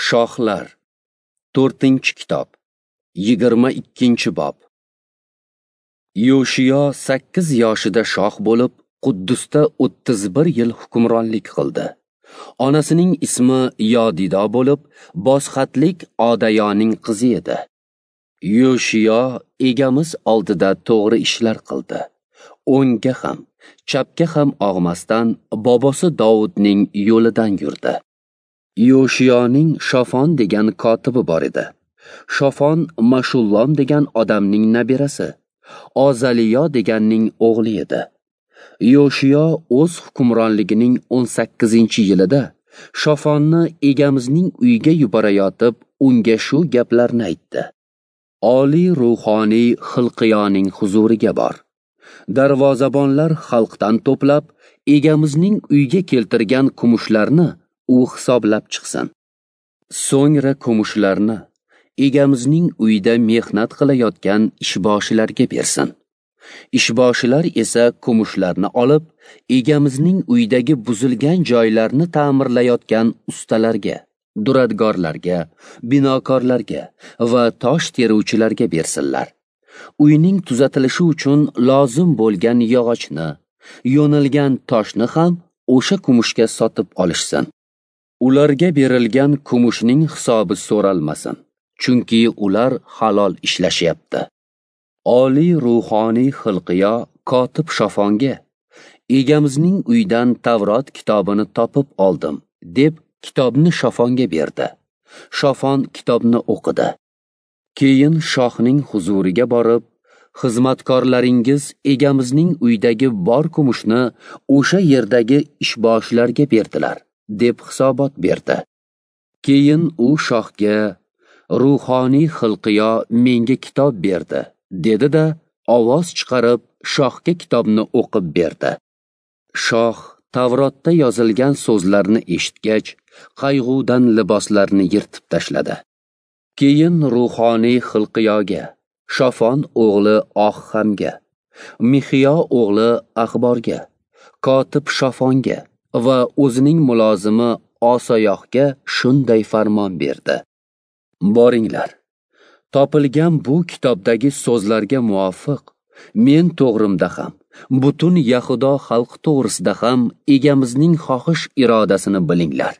Shohlar, 4-kitob, 22-bob. Yoshiyo 8 yoshida shoh bo'lib, Quddusda 31 yil hukmronlik qildi. Onasining ismi Yodido bo'lib, bosxatlik Odayoning qizi edi. Yoshiyo egamiz oldida to'g'ri ishlar qildi. O'ngga ham, chapga ham og'masdan bobosi Dovudning yo'lidan yurdi. Yoshiyoning Shofon degan kotibi bor edi. Shofon Mashullom degan odamning nabirasi, Ozaliyo deganning o'g'li edi. Yoshiyo o'z hukmronligining 18-yilida Shofonni egamizning uyiga yuborayotib, unga shu gaplarni aytdi. Oliy ruhoniy Xilqiyoning huzuriga bor. Darvozabonlar xalqdan to'plab, egamizning uyiga keltirgan kumushlarni u hisoblab chiqsin. So'ngra kumushlarni egamizning uyida mehnat qilayotgan ishboshilarga bersin. Ishboshilar esa kumushlarni olib, egamizning uyidagi buzilgan joylarni ta'mirlayotgan ustalarga, duradgorlarga, binokorlarga va tosh teruvchilarga bersinlar. Uyning tuzatilishi uchun lozim bo'lgan yog'ochni, yo'nilgan toshni ham o'sha kumushga sotib olishsin. Ularga berilgan kumushning hisobi so'ralmasin, chunki ular halol ishlashyapti. Oliy ruhoniy Xilqiyo kotib Shofonga: "Egamizning uyidan Tavrot kitobini topib oldim", deb kitobni Shofonga berdi. Shofon kitobni o'qidi. Keyin shohning huzuriga borib, "Xizmatkorlaringiz egamizning uyidagi bor kumushni o'sha yerdagi ishboshilarga berdilar", deb hisobot berdi. Keyin u shohga: "Ruhoniy Xilqiyo menga kitob berdi", dedi-da, ovoz chiqarib shohga kitobni o'qib berdi. Shoh Tavrotda yozilgan so'zlarni eshitgach, qayg'udan liboslarini yirtib tashladi. Keyin ruhoniy Xilqiyoga, Shofon o'g'li Oxhamga, Mixiyo o'g'li Axborga, kotib Shofonga va o'zining mulozimi Osoyohga shunday farmon berdi: "Boringlar, topilgan bu kitobdagi so'zlarga muvofiq men to'g'rimda ham, butun Yahudo xalqi to'g'risida ham egamizning xohish irodasini bilinglar.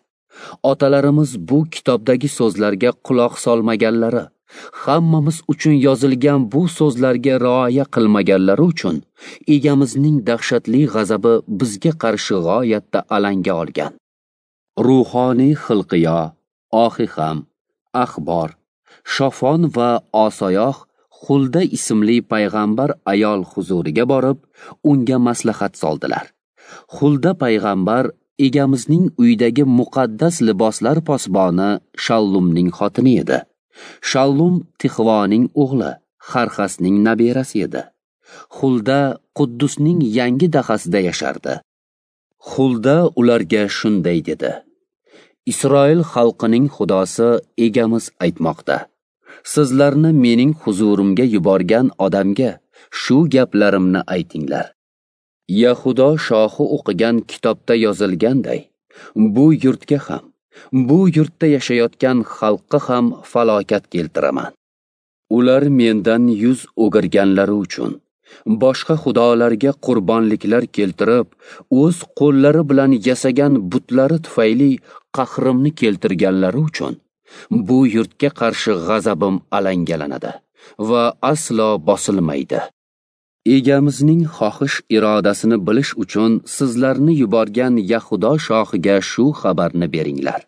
Otalarimiz bu kitobdagi so'zlarga quloq solmaganlari, hammamiz uchun yozilgan bu so'zlarga rioya qilmaganlari uchun egamizning dahshatli g'azabi bizga qarshi g'oyatda alanga olgan." Ruhoniy Xilqiyo, Oxiham, Axbor, Shofon va Osoyoh Xulda ismli payg'ambar ayol huzuriga borib, unga maslahat soldilar. Xulda payg'ambar egamizning uyidagi muqaddas liboslar posboni Shallumning xotini edi. Shallum Tixvoning o'g'li, Xarxasning nabirasi edi. Xulda Quddusning yangi dahasida yashardi. Xulda ularga shunday dedi: "Isroil xalqining Xudosi egamiz aytmoqda: Sizlarni mening huzurimga yuborgan odamga shu gaplarimni aytinglar. Yahudo shohi o'qigan kitobda yozilganday, bu yurtga ham, bu yurtda yashayotgan xalqqa ham falokat keltiraman. Ular mendan yuz o'girganlari uchun, boshqa xudolarga qurbonliklar keltirib, o'z qo'llari bilan yasagan butlari tufayli qahrimni keltirganlari uchun bu yurtga qarshi g'azabim alangalanadi va aslo bosilmaydi. Egamizning xohish irodasini bilish uchun sizlarni yuborgan Yahudo shohiga shu xabarni beringlar.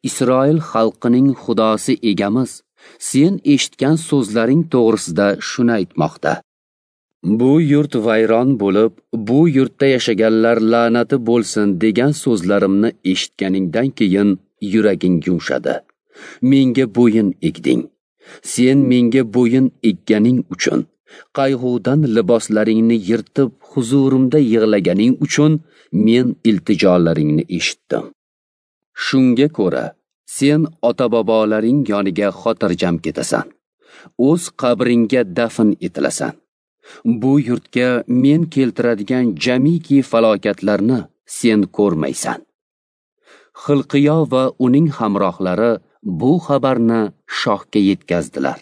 Isroil xalqining Xudosi egamiz sen eshitgan so'zlaring to'g'risida shuni aytmoqda: Bu yurt vayron bo'lib, bu yurtda yashaganlar la'nati bo'lsin degan so'zlarimni eshitganingdan keyin yuraging yumshadi. Menga bo'yin egding. Sen menga bo'yin egganing uchun, qayg'udan liboslaringni yirtib huzurimda yig'laganing uchun men iltijolaringni eshitdim. Shunga ko'ra, sen ota-bobolaring yoniga xotirjam ketasan. O'z qabringga dafn etilasan. Bu yurtga men keltiradigan jamiki falokatlarni sen ko'rmaysan." Xilqiyo va uning hamrohlari bu xabarni shohga yetkazdilar.